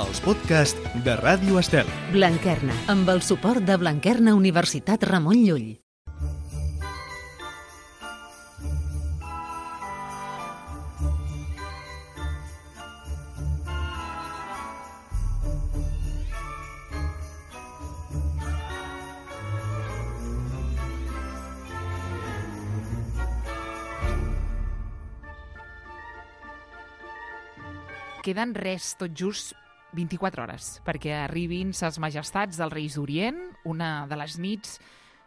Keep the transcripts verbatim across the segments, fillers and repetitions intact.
els podcasts de Ràdio Estel. Blanquerna, amb el suport de Blanquerna Universitat Ramon Llull. Queden res, tot just vint-i-quatre hores, perquè arribin ses majestats dels Reis d'Orient, una de les nits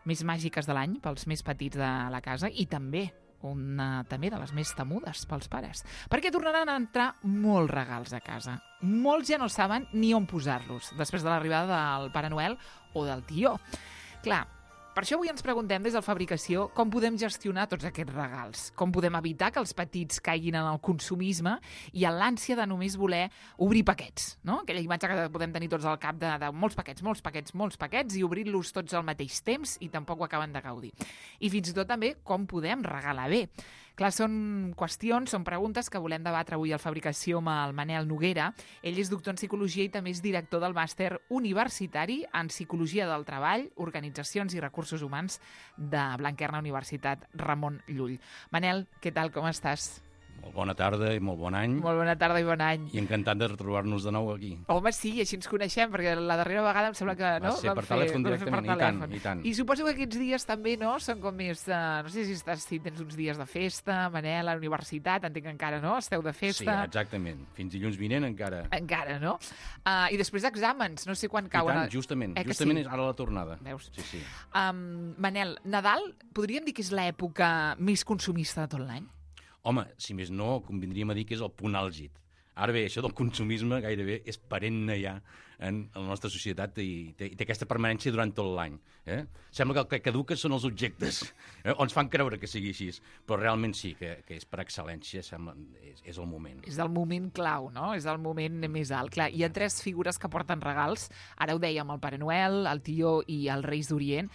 més màgiques de l'any pels més petits de la casa i també una també de les més temudes pels pares, perquè tornaran a entrar molts regals a casa. Molts ja no saben ni on posar-los, després de l'arribada del Pare Noel o del tió. Clar, per això avui ens preguntem des de la fabricació com podem gestionar tots aquests regals, com podem evitar que els petits caiguin en el consumisme i en l'ànsia de només voler obrir paquets, no? Aquella imatge que podem tenir tots al cap de, de molts paquets, molts paquets, molts paquets i obrir-los tots al mateix temps i tampoc ho acaben de gaudir. I fins i tot també com podem regalar bé. Clar, són qüestions, són preguntes que volem debatre avui al Fabricació amb el Manel Noguera. Ell és doctor en Psicologia i també és director del màster universitari en Psicologia del Treball, Organitzacions i Recursos Humans de Blanquerna Universitat Ramon Llull. Manel, què tal, com estàs? Molt bona tarda i molt bon any. Molt bona tarda i bon any. I encantat de retrobar-nos de nou aquí. Home, sí, així ens coneixem, perquè la darrera vegada em sembla que... Va no? ser per telèfon directament, i tant, i tant. I suposo que aquests dies també, no?, són com més... Uh, no sé si, estàs, si tens uns dies de festa, Manel, a la universitat, entenc que encara, no?, esteu de festa. Sí, exactament. Fins dilluns vinent encara. Encara, no? Uh, I després d'exàmens, no sé quan cauen... I tant, justament. Eh justament sí? és ara la tornada. Veus? Sí, sí. Um, Manel, Nadal, podríem dir que és l'època més consumista de tot l'any? Home, si més no, convindríem a dir que és el punt àlgid. Ara bé, això del consumisme gairebé és perenne ja en la nostra societat i té, i té aquesta permanència durant tot l'any. Eh? Sembla que el que caduca són els objectes, eh? o ens fan creure que sigui així, però realment sí, que, que és per excel·lència, sembla, és, és el moment. És el moment clau, no? És el moment més alt. Clar, hi ha tres figures que porten regals, ara ho dèiem, el Pare Noel, el tió i els Reis d'Orient.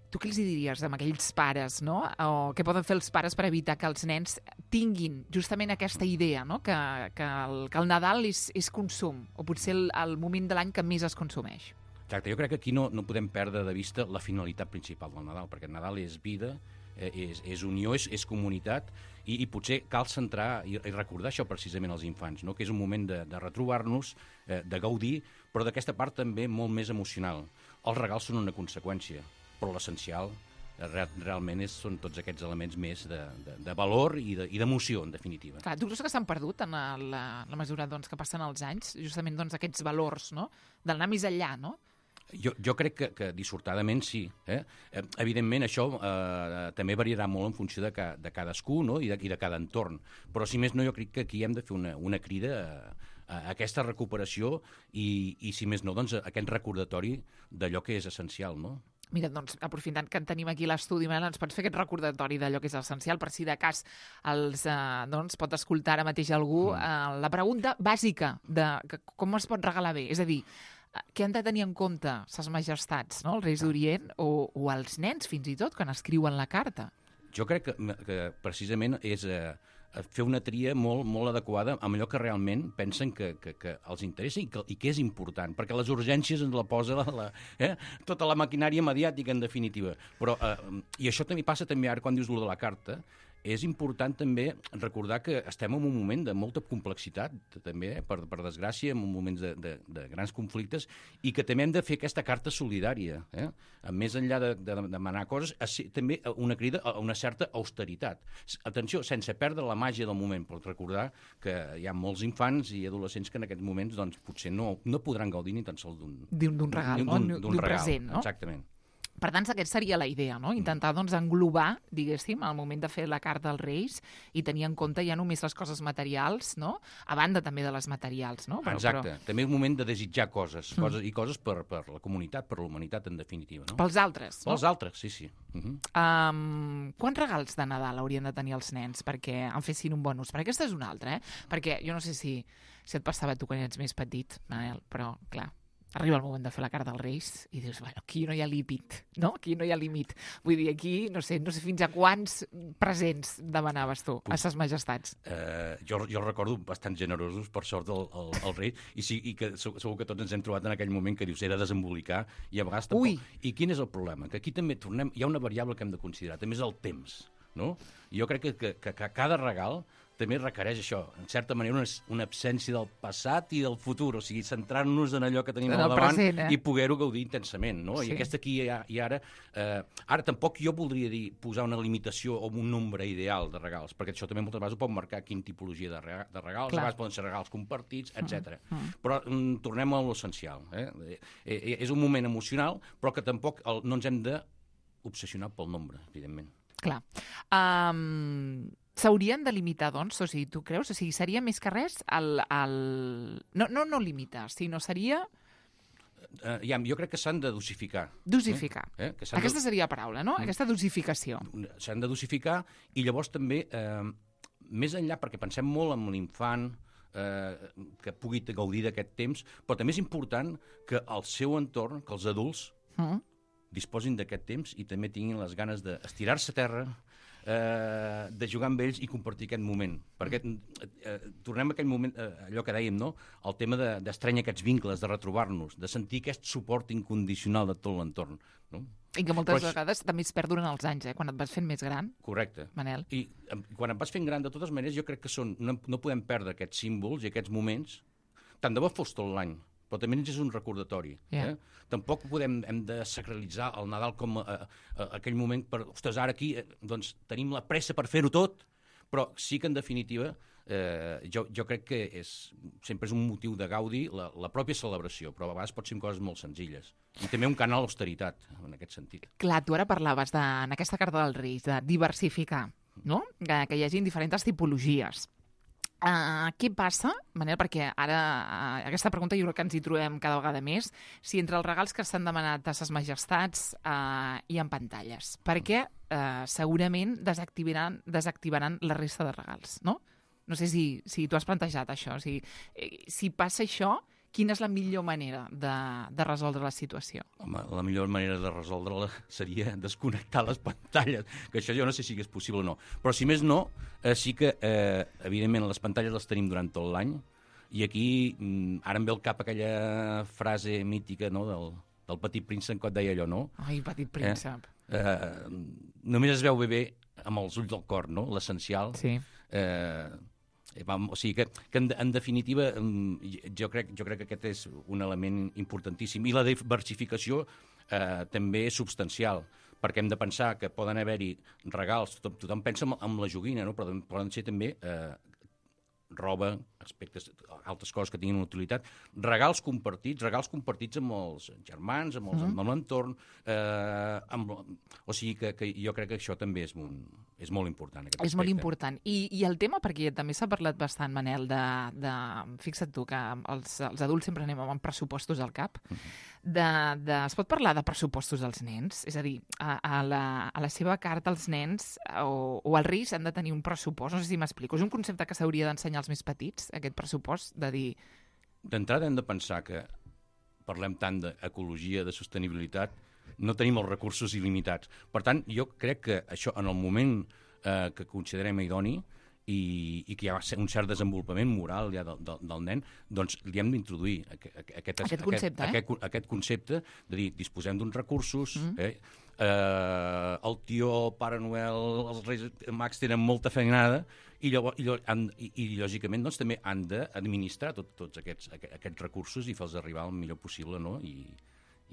Tu què els diries amb aquells pares, no? O què poden fer els pares per evitar que els nens tinguin justament aquesta idea, no? Que, que, el, que el Nadal és, és consum, o potser el, el moment de l'any que més es consumeix? Exacte, jo crec que aquí no, no podem perdre de vista la finalitat principal del Nadal, perquè el Nadal és vida, eh, és, és unió, és, és comunitat, i, i potser cal centrar i, i recordar això precisament als infants, no? Que és un moment de, de retrobar-nos, eh, de gaudir, però d'aquesta part també molt més emocional. Els regals són una conseqüència, però l'essencial real, realment és, són tots aquests elements més de, de, de valor i d'emoció, de, en definitiva. Clar, tu creus que s'han perdut en la, la mesura doncs, que passen els anys, justament doncs, aquests valors, no? D'anar més enllà, no? Jo, jo crec que, que dissortadament sí. Eh? Evidentment, això eh, també variarà molt en funció de, ca, de cadascú, no? I, de, i de cada entorn. Però, si més no, jo crec que aquí hem de fer una, una crida a, a aquesta recuperació i, i, si més no, doncs, a aquest recordatori d'allò que és essencial, no? Mira, doncs, aprofitant que en tenim aquí l'estudi, Manel, ens pots fer aquest recordatori d'allò que és essencial, per si de cas els, eh, doncs, pot escoltar ara mateix algú eh, la pregunta bàsica de que, com es pot regalar bé, és a dir, què han de tenir en compte ses majestats, no?, els Reis d'Orient, o, o els nens, fins i tot, quan escriuen la carta? Jo crec que, que precisament és eh, fer una tria molt, molt adequada amb allò que realment pensen que, que, que els interessa i que, i que és important, perquè les urgències ens la posa la, la, eh, tota la maquinària mediàtica, en definitiva. Però, eh, i això també passa també ara quan dius lo de la carta, és important també recordar que estem en un moment de molta complexitat, també, eh, per, per desgràcia, en moments de, de, de grans conflictes, i que també hem de fer aquesta carta solidària. Eh? Més enllà de, de demanar coses, també una crida a una certa austeritat. Atenció, sense perdre la màgia del moment, però recordar que hi ha molts infants i adolescents que en aquests moments doncs, potser no, no podran gaudir ni tan sols d'un regal, d'un present, no? Exactament. Per tant, aquesta seria la idea, no? Intentar doncs, englobar, diguéssim, al moment de fer la carta als Reis i tenir en compte ja només les coses materials, no? A banda també de les materials, no? Però, Exacte. Però... També és un moment de desitjar coses, mm. coses i coses per, per la comunitat, per la humanitat, en definitiva. No? Pels altres, no? Pels altres, sí, sí. Uh -huh. um, quants regals de Nadal haurien de tenir els nens perquè en fessin un bon ús? Perquè aquesta és una altra, eh? Perquè jo no sé si, si et passava a tu quan ets més petit, Manel, però, clar, arriba el moment de fer la carta als Reis i dius, bueno, aquí no hi ha límit, no? Aquí no hi ha límit. Vull dir, aquí no sé, no sé fins a quants presents demanaves tu a ses majestats. Uh, jo, jo recordo bastant generosos, per sort, el, el, el rei, i, sí, i que segur que tots ens hem trobat en aquell moment que dius, era desembolicar, i a vegades tampoc... Ui. I quin és el problema? Que aquí també tornem... Hi ha una variable que hem de considerar, també és el temps, no? I jo crec que, que, que, que cada regal també requereix això, en certa manera, una, una absència del passat i del futur, o sigui, centrar-nos en allò que tenim en al davant present, eh? i poder-ho gaudir intensament, no? Sí. I aquesta aquí i, i ara... Eh, ara tampoc jo voldria dir posar una limitació o un nombre ideal de regals, perquè això també moltes vegades ho pot marcar quina tipologia de, rega, de regals, Clar. a vegades poden ser regals compartits, etcètera. Mm, mm. Però mm, tornem a l'essencial. Eh? Eh, eh? És un moment emocional, però que tampoc el, no ens hem d'obsessionar pel nombre, evidentment. Clar. Um, S'haurien de limitar, doncs? O sigui, tu creus? O sigui, seria més que res el... el... No, no, no limitar, sinó seria... Uh, ja, jo crec que s'han de dosificar. Dosificar. Eh? Eh? Que Aquesta seria la paraula, no? Mm. Aquesta dosificació. S'han de dosificar i llavors també, eh, més enllà, perquè pensem molt en l'infant, eh, que pugui gaudir d'aquest temps, però també és important que el seu entorn, que els adults, Mm. disposin d'aquest temps i també tinguin les ganes d'estirar-se a terra, eh, de jugar amb ells i compartir aquest moment. Perquè eh, tornem a aquell moment, eh, allò que dèiem, no? El tema d'estrènyer de, aquests vincles, de retrobar-nos, de sentir aquest suport incondicional de tot l'entorn. No? I que moltes Però, vegades també es perd durant els anys, eh? Quan et vas fent més gran, correcte. Manel. I eh, quan et vas fent gran, de totes maneres, jo crec que són, no, no podem perdre aquests símbols i aquests moments, tant de bo fos tot l'any, però també és un recordatori. Yeah. Eh? Tampoc podem, hem de sacralitzar el Nadal com a, a, a aquell moment per, ostres, ara aquí eh, doncs, tenim la pressa per fer-ho tot, però sí que en definitiva eh, jo, jo crec que és, sempre és un motiu de gaudi la, la pròpia celebració, però a vegades pot ser coses molt senzilles. I també un canal d'austeritat, en aquest sentit. Clar, tu ara parlaves de, en aquesta carta dels Reis, de diversificar, no? Que, que hi hagi diferents tipologies. Uh, què passa, Manel, perquè ara uh, aquesta pregunta jo crec que ens hi trobem cada vegada més, si entre els regals que s'han demanat a ses majestats uh, hi ha pantalles, perquè uh, segurament desactivaran, desactivaran la resta de regals, no? No sé si, si tu has plantejat això, o sigui, eh, si passa això, quina és la millor manera de, de resoldre la situació? Home, la millor manera de resoldre-la seria desconnectar les pantalles, que això jo no sé si és possible o no. Però si més no, eh, sí que, eh, evidentment, les pantalles les tenim durant tot l'any, i aquí mm, ara em ve al cap aquella frase mítica, no?, del, del Petit Príncep, que et deia allò, no? Ai, Petit Príncep. Eh, eh, només es veu bé bé amb els ulls del cor, no?, l'essencial. Sí. Eh, O sigui que, que en, en definitiva jo crec, jo crec que aquest és un element importantíssim. I la diversificació eh, també és substancial, perquè hem de pensar que poden haver-hi regals, tothom, tothom pensa en, en la joguina, no? Però poden ser també eh, roba, aspectes, altres coses que tinguin una utilitat, regals compartits, regals compartits amb els germans, amb els, mm-hmm. amb l'entorn, eh, amb, o sigui que, que jo crec que això també és, un, és molt important. Aquest és aspecte. molt important. I, I el tema, perquè també s'ha parlat bastant, Manel, de, de fixa't tu, que els, els adults sempre anem amb pressupostos al cap, mm-hmm. de, de, es pot parlar de pressupostos dels nens? És a dir, a, a, la, a la seva carta els nens o, o els Reis han de tenir un pressupost, no sé si m'explico, és un concepte que s'hauria d'ensenyar als més petits, aquest pressupost, de dir... D'entrada hem de pensar que parlem tant d'ecologia, de sostenibilitat, no tenim els recursos il·limitats. Per tant, jo crec que això, en el moment eh, que considerem idoni i, i que hi ha un cert desenvolupament moral ja del, del, del nen, doncs li hem d'introduir aquest, aquest, aquest concepte, aquest, eh? aquest, aquest concepte de dir, disposem d'uns recursos, mm. eh, eh, el tió, Pare Noel, els Reis Mags tenen molta feinada, i, llavors, i, han, i, i lògicament doncs, també han d'administrar tot, tots aquests, aquests recursos i fer-los arribar el millor possible, no? I,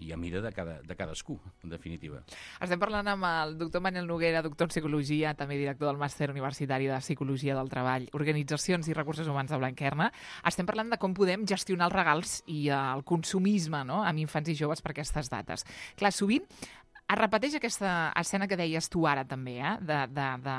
i a mida de, cada, de cadascú, en definitiva. Estem parlant amb el doctor Manel Noguera, doctor en Psicologia, també director del Màster Universitari de Psicologia del Treball, Organitzacions i Recursos Humans de Blanquerna. Estem parlant de com podem gestionar els regals i el consumisme, no?, amb infants i joves per aquestes dates. Clar, sovint es repeteix aquesta escena que deies tu ara també, eh? de, de, de,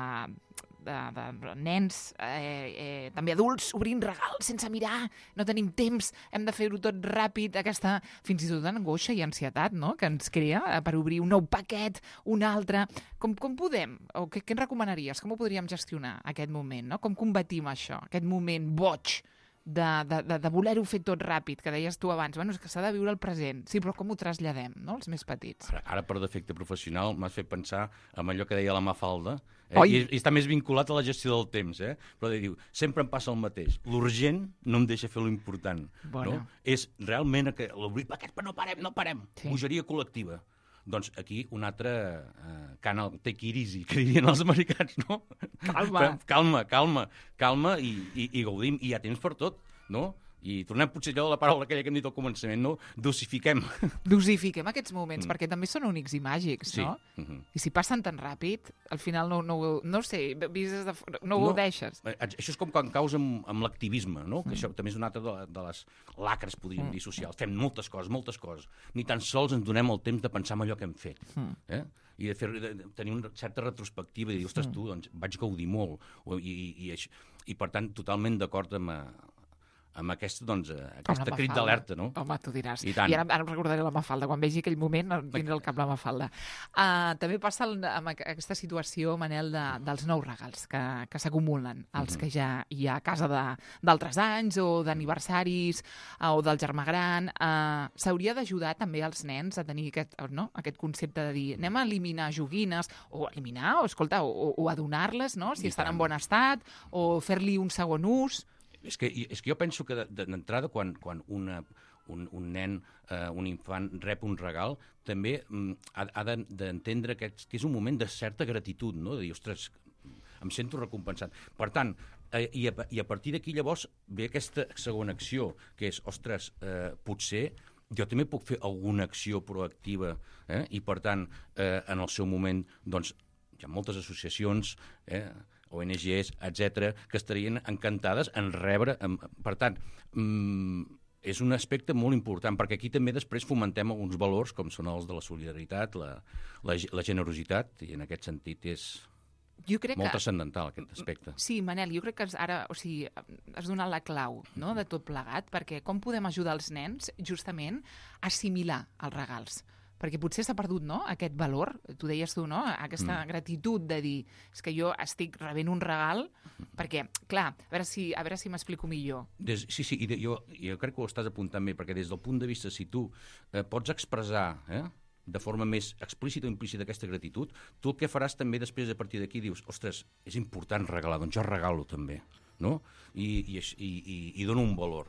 de, de nens, eh, eh, també adults, obrint regals sense mirar, no tenim temps, hem de fer-ho tot ràpid, aquesta fins i tot angoixa i ansietat, no?, que ens crea eh, per obrir un nou paquet, un altre. Com, com podem, o què, què ens recomanaries? Com ho podríem gestionar, aquest moment, no? Com combatim això, aquest moment boig de, de, de, de voler-ho fer tot ràpid, que deies tu abans, bueno, és que s'ha de viure el present. Sí, però com ho traslladem, no?, els més petits. Ara, ara per defecte professional, m'has fet pensar en allò que deia la Mafalda, eh? Oi. I, i està més vinculat a la gestió del temps, eh? Però diu, sempre em passa el mateix. L'urgent no em deixa fer l'important. Bona. No? És realment que l'obrir, aquest, no parem, no parem. Sí. Bogeria col·lectiva. Doncs aquí un altre uh, canal, take it easy, que dirien els americans, no? Calma. calma, calma, calma i, i, i gaudim. I hi ha temps per tot, no? I tornem potser allò de la paraula aquella que hem dit al començament, no? Dosifiquem. Dosifiquem aquests moments, Mm. perquè també són únics i màgics, Sí. no? Mhm. I si passen tan ràpid, al final no, no, ho- no ho sé, vist des de fora, no ho No. deixes. Eh, Això és com quan caus amb, amb l'activisme, no? Que això també és una altra de, de les lacres, podríem dir, socials. Fem moltes coses, moltes coses. Ni tan sols ens donem el temps de pensar en allò que hem fet. Eh? I de, fer, de, de tenir una certa retrospectiva i dir, ostres, tu, doncs, vaig gaudir molt. O, i, i, i, això, I, per tant, totalment d'acord amb, eh, amb aquest, doncs, eh, aquesta Com la crit Mafalda. d'alerta, no? Home, tu diràs. I tant. I ara, ara em recordaré la Mafalda. Quan vegi aquell moment, em vindrà al cap la Mafalda. Uh, també passa el, amb aqu- aquesta situació, Manel, de, dels nous regals que, que s'acumulen, els que ja hi ha a casa de- d'altres anys o d'aniversaris uh, o del germà gran. Uh, S'hauria d'ajudar també als nens a tenir aquest, no? aquest concepte de dir anem a eliminar joguines, o eliminar, o escolta, o, o a donar-les, no? si I estan tant. en bon estat, o fer-li un segon ús. És que, és que jo penso que de- de- d'entrada, quan, quan una, un, un nen, eh, un infant, rep un regal, també mm, ha, ha de- d'entendre que, que és un moment de certa gratitud, no? De dir, ostres, em sento recompensat. Per tant, eh, i, a, i a partir d'aquí llavors ve aquesta segona acció, que és, ostres, eh, potser jo també puc fer alguna acció proactiva, eh? I per tant, eh, en el seu moment, doncs, hi ha moltes associacions, eh? O N Ges, etcètera, que estarien encantades en rebre... En, per tant, mm, és un aspecte molt important, perquè aquí també després fomentem alguns valors, com són els de la solidaritat, la, la, la generositat, i en aquest sentit és Jo crec molt que... transcendental, aquest aspecte. Sí, Manel, jo crec que has- ara, o sigui, has donat la clau, no?, de tot plegat, perquè com podem ajudar els nens, justament, a assimilar els regals? Perquè potser s'ha perdut, no?, aquest valor, tu deies tu, no?, aquesta mm. gratitud de dir, és que jo estic rebent un regal, perquè, clar, a veure si, a veure si m'explico millor. Des, sí, sí, i de, jo, jo crec que ho estàs apuntant bé, perquè des del punt de vista, si tu eh, pots expressar eh, de forma més explícita o implícita aquesta gratitud, tu el que faràs també després, a partir d'aquí, dius, ostres, és important regalar, doncs jo regalo també, no? I, i, i, i, i dono un valor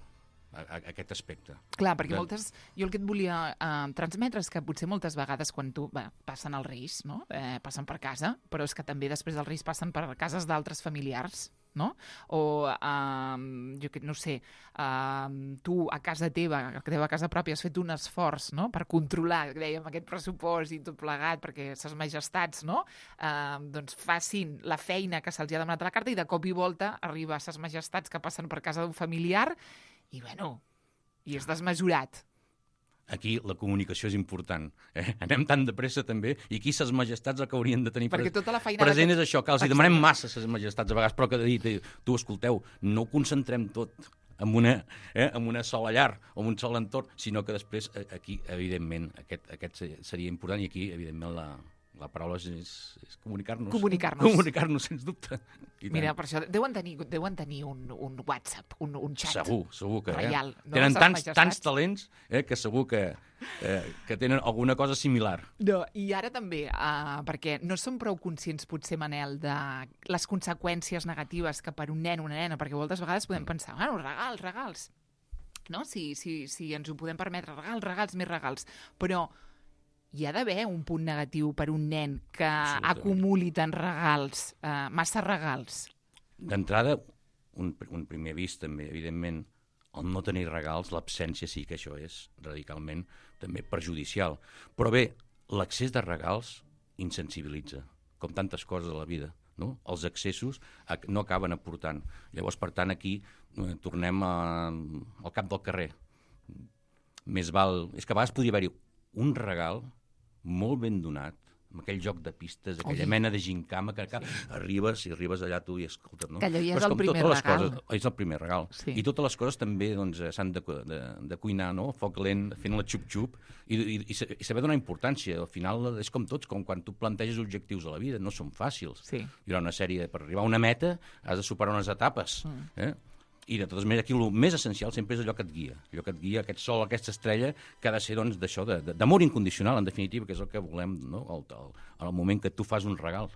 a, a, a aquest aspecte. Clar, perquè De- moltes... Jo el que et volia eh, transmetre és que potser moltes vegades quan tu... Bé, passen els Reis, no?, eh, passen per casa, però és que també després dels Reis passen per cases d'altres familiars, no? O, eh, jo que no sé, eh, tu a casa teva, a la teva casa pròpia, has fet un esforç, no?, per controlar, dèiem, aquest pressupost i tot plegat, perquè ses majestats, no?, eh, doncs facin la feina que se'ls ha demanat a la carta i de cop i volta arriba a ses majestats que passen per casa d'un familiar i, bueno, i és desmesurat. Aquí la comunicació és important. Eh? Anem tan de pressa també, i aquí ses majestats el que haurien de tenir Perquè pres- tota la feina present d'aquest- és això, que els hi demanem massa ses majestats a vegades, però que de dir, tu, escolteu, no ho concentrem tot en una, eh, en una sola llar o en un sol entorn, sinó que després eh, aquí, evidentment, aquest, aquest se- seria important, i aquí, evidentment, la, la paraula és, és, és comunicar-nos. Comunicar-nos. Comunicar-nos, sens dubte. I Mira, tant. per això deuen tenir, deuen tenir un, un WhatsApp, un, un xat. Segur, segur que reial, eh? no? Tenen Ses tants, majestats. tants talents eh, que segur que, eh, que tenen alguna cosa similar. No, i ara també, uh, perquè no som prou conscients, potser, Manel, de les conseqüències negatives que per un nen o una nena, perquè moltes vegades podem pensar, bueno, regals, regals, no? Si, si, si ens ho podem permetre, regals, regals, més regals. Però hi ha d'haver un punt negatiu per un nen que Absolutament. acumuli tants regals, uh, massa regals. D'entrada, un, un primer avís també, evidentment, el no tenir regals, l'absència sí que això és radicalment també perjudicial. Però bé, l'accés de regals insensibilitza, com tantes coses a la vida, no? Els excessos ac- no acaben aportant. Llavors, per tant, aquí eh, tornem a, al cap del carrer. Més val... És que a vegades podria haver-hi un regal molt ben donat, amb aquell joc de pistes, aquella Oi. mena de gincama que sí. arribes i arribes allà tu i escoltes, no? Que allò ja és Però el com primer totes les regal. Coses, és el primer regal. Sí. I totes les coses també doncs, eh, s'han de, cu- de, de cuinar, no? Foc lent, fent la xup-xup, i, i, i, sa- i saber donar importància. Al final és com tots, com quan tu planteges objectius a la vida, no són fàcils. Sí. Hi ha una sèrie, per arribar a una meta has de superar unes etapes. Mm. Eh? I de totes maneres, aquí el més essencial sempre és allò que et guia, allò que et guia, aquest sol, aquesta estrella, que ha de ser doncs, d'això, de, d'amor incondicional, en definitiva, que és el que volem, no? el, el, en el moment que tu fas un regal.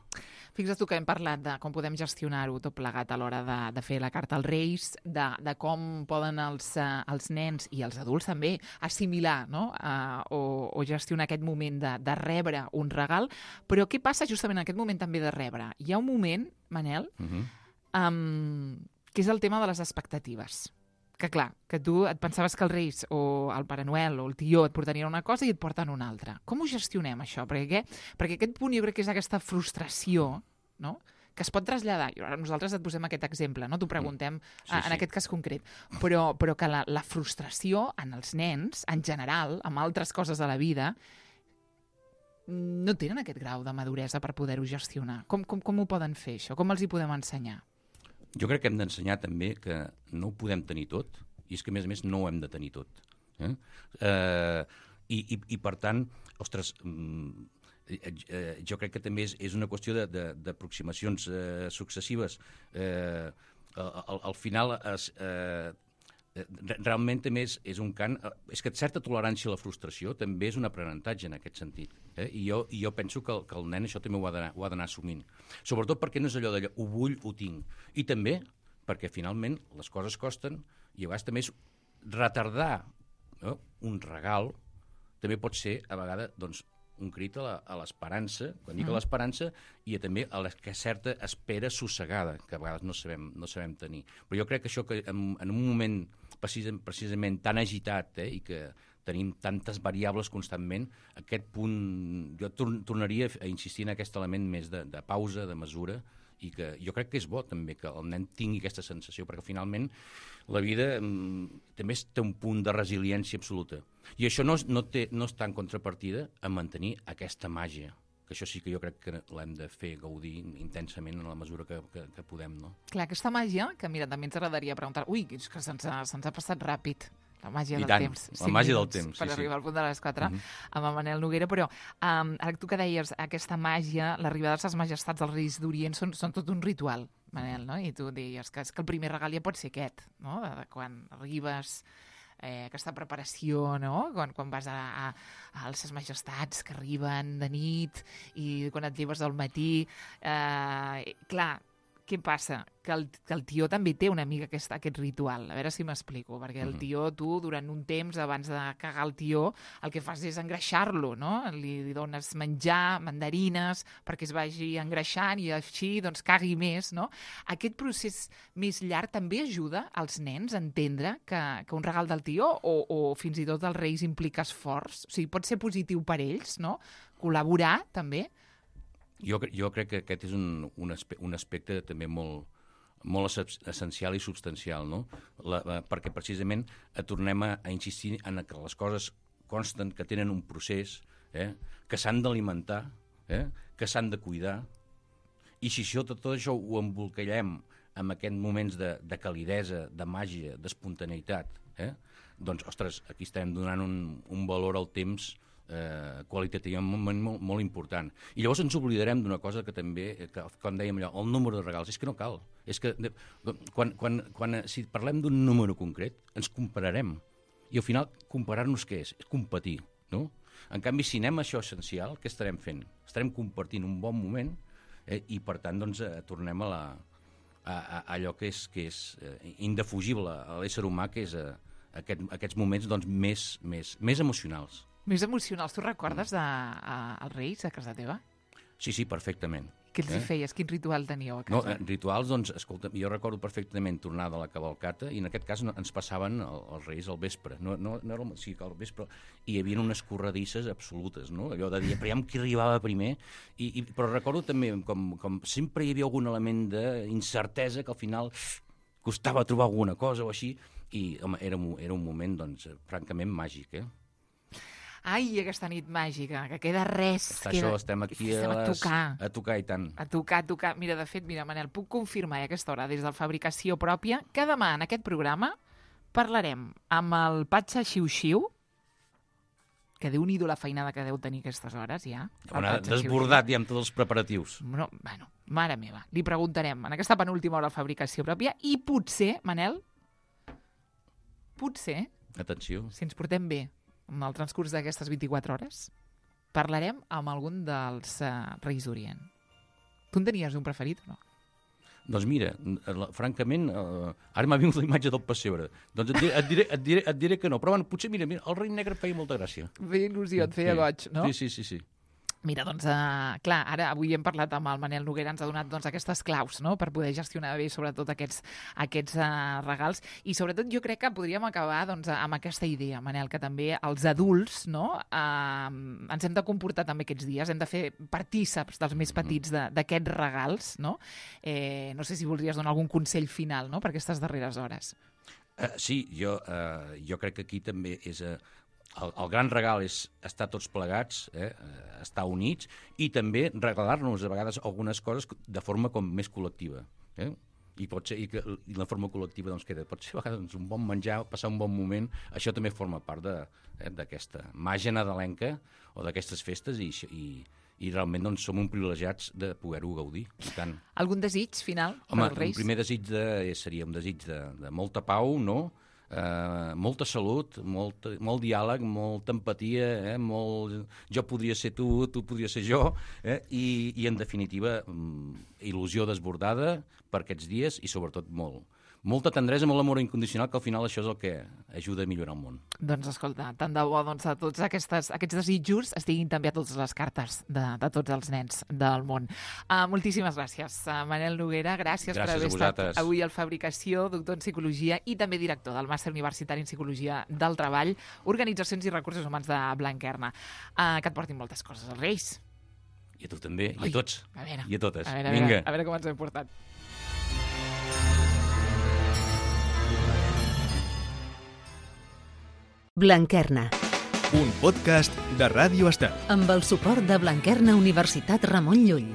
Fixa't tu que hem parlat de com podem gestionar-ho tot plegat a l'hora de, de fer la carta als Reis, de, de com poden els, uh, els nens i els adults també assimilar, no? uh, o, o gestionar aquest moment de, de rebre un regal. Però què passa justament en aquest moment també de rebre? Hi ha un moment, Manel, uh-huh. um, que és el tema de les expectatives. Que clar, que tu et pensaves que els Reis o el Pare Noel o el tió et portarien una cosa i et porten una altra. Com ho gestionem, això? Perquè, perquè aquest punt jo crec que és aquesta frustració, no?, que es pot traslladar. I ara nosaltres et posem aquest exemple, no? T'ho preguntem sí, en sí. aquest cas concret. Però, però que la, la frustració en els nens, en general, amb altres coses de la vida, no tenen aquest grau de maduresa per poder-ho gestionar. Com, com, com ho poden fer, això? Com els hi podem ensenyar? Jo crec que hem d'ensenyar també que no ho podem tenir tot, i és que, a més a més, no ho hem de tenir tot. Eh? Eh, i, i, I, per tant, ostres, eh, jo crec que també és, és una qüestió d'aproximacions eh, successives. Eh, al, al final, es, eh, realment també és, és un cant... És que certa tolerància a la frustració també és un aprenentatge en aquest sentit. Eh? I, jo, I jo penso que el, que el nen això també ho ha d'anar assumint. Sobretot perquè no és allò d'allò, ho vull, ho tinc. I també perquè finalment les coses costen i a vegades també és retardar, no? Un regal també pot ser a vegades doncs, un crit a l'esperança, quan dic a l'esperança, i a, també a la que certa espera sossegada, que a vegades no sabem, no sabem tenir. Però jo crec que això que en, en un moment precisament, precisament tan agitat eh, i que tenim tantes variables constantment, aquest punt, jo tor tornaria a insistir en aquest element més de, de pausa, de mesura, i que jo crec que és bo també que el nen tingui aquesta sensació, perquè finalment la vida mm, també té un punt de resiliència absoluta. I això no, no, té, no està en contrapartida a mantenir aquesta màgia, que això sí que jo crec que l'hem de fer gaudir intensament en la mesura que, que, que podem. No? Clar, aquesta màgia, que mira, també ens agradaria preguntar, ui, és que se'ns ha, se'ns ha passat ràpid. La màgia I del tant, temps. la màgia del temps, sí, per sí. arribar al punt de les quatre uh-huh. amb el Manel Noguera, però um, ara tu que deies, aquesta màgia, l'arribada de les majestats dels Reis d'Orient són, són tot un ritual, Manel, no? I tu deies que, és que el primer regal ja pot ser aquest, no? De, de quan arribes, eh, aquesta preparació, no? Quan, quan vas a, a, a les majestats que arriben de nit i quan et lleves al matí. Eh, clar, què passa? Que el, que el tió també té una mica aquest, aquest ritual. A veure si m'explico, perquè el tió, tu, durant un temps, abans de cagar el tió, el que fas és engreixar-lo, no? Li, li dones menjar, mandarines, perquè es vagi engreixant i així doncs, cagui més, no? Aquest procés més llarg també ajuda als nens a entendre que, que un regal del tió o, o fins i tot dels Reis implica esforç. O sigui, pot ser positiu per ells, no? Col·laborar, també. Jo, jo crec que aquest és un, un, aspe un aspecte també molt, molt essencial i substancial, no? La, la, perquè precisament tornem a, a insistir en que les coses consten, que tenen un procés, eh? Que s'han d'alimentar, eh? Que s'han de cuidar, i si això, tot, tot això ho embolcallem en aquests moments de, de calidesa, de màgia, d'espontaneïtat, eh? Doncs, ostres, aquí estem donant un, un valor al temps Eh, qualitativament molt, molt important. I llavors ens oblidarem d'una cosa que també, que, com dèiem allò, el número de regals. És que no cal. És que de, quan, quan, quan, si parlem d'un número concret, ens compararem. I al final, comparar-nos què és? És competir, no? En canvi, si anem a això essencial, què estarem fent? Estarem compartint un bon moment eh, i, per tant, doncs, eh, tornem a, la, a, a allò que és, que és eh, indefugible a l'ésser humà, que és eh, aquest, aquests moments doncs, més, més, més emocionals. Més emocionals. Tu recordes de, a, als Reis a casa teva? Sí, sí, perfectament. Què els eh? hi feies? Quin ritual teníeu a casa? No, rituals, doncs, escolta, jo recordo perfectament tornar de la cavalcata i en aquest cas no, ens passaven el, els Reis al vespre. No, no, no era el, sí, al vespre. I hi havia unes corredisses absolutes, no? Allò de dir, aviam qui arribava primer. I, i, però recordo també, com, com sempre hi havia algun element d'incertesa que al final costava trobar alguna cosa o així, i home, era, era un moment, doncs, francament màgic, eh? Ai, aquesta nit màgica, que queda res. Està queda... això, estem aquí estem a, les... a tocar. A tocar i tant. A tocar, a tocar. Mira, de fet, mira, Manel, puc confirmar a aquesta hora, des de Fabricació Pròpia, que demà en aquest programa parlarem amb el Patxa Xiu-Xiu, que déu-n'hi-do la feinada que deu tenir aquestes hores, ja. Una desbordat ja amb tots els preparatius. No, bueno, mare meva, li preguntarem en aquesta penúltima hora de Fabricació Pròpia i potser, Manel, potser, Atenció. si ens portem bé en el transcurs d'aquestes vint-i-quatre hores, parlarem amb algun dels uh, Reis d'Orient. Tu en tenies un preferit o no? Doncs mira, la- francament, eh, ara m'ha vingut la imatge del pessebre. Doncs et diré, et diré, et diré, et diré que no. Però bueno, potser, mira, mira, el rei negre em feia molta gràcia. Feia il·lusió, et feia Sí. goig, no? Sí, sí, sí, sí. Mira, doncs, uh, clar, ara avui hem parlat amb el Manel Noguera, ens ha donat doncs, aquestes claus, no?, per poder gestionar bé sobretot aquests, aquests uh, regals, i sobretot jo crec que podríem acabar doncs, amb aquesta idea, Manel, que també els adults, no?, uh, ens hem de comportar també aquests dies, hem de fer partíceps dels més petits de- d'aquests regals, no? Eh, no sé si voldries donar algun consell final, no?, per aquestes darreres hores. Uh, sí, jo, uh, jo crec que aquí també és... Uh, el, el gran regal és estar tots plegats, eh, uh, estar units, i també regalar-nos a vegades algunes coses de forma com més col·lectiva. Eh? I, pot ser, i, que, i la forma col·lectiva doncs, queda, pot ser a vegades un bon menjar, passar un bon moment, això també forma part de, eh, d'aquesta màgia nadalenca o d'aquestes festes, i, i, i realment doncs, som un privilegiats de poder-ho gaudir. I tant. Algun desig final Home, per als un Reis? primer desig de, seria un desig de, de molta pau, no? Uh, molta salut, molt, molt diàleg, molta empatia, eh? molt... jo podria ser tu, tu podria ser jo, eh? I, i en definitiva mm, il·lusió desbordada per aquests dies i sobretot molt, molta tendresa, molt amor incondicional, que al final això és el que ajuda a millorar el món. Doncs escolta, tant de bo doncs, a tots aquestes, aquests desitjos estiguin també a totes les cartes de, de tots els nens del món. Uh, moltíssimes gràcies, uh, Manel Noguera, gràcies, Gràcies per haver a estat vosaltres. avui al Fabricació, doctor en Psicologia i també director del Màster Universitari en Psicologia del Treball, Organitzacions i Recursos Humans de Blanquerna. Uh, que et portin moltes coses als Reis. I a tu també, i Ui, a tots, a veure, i a totes. A veure, a Vinga. veure, a veure com ens hem portat. Blanquerna, Un podcast de Ràdio Estel. amb el suport de Blanquerna Universitat Ramon Llull.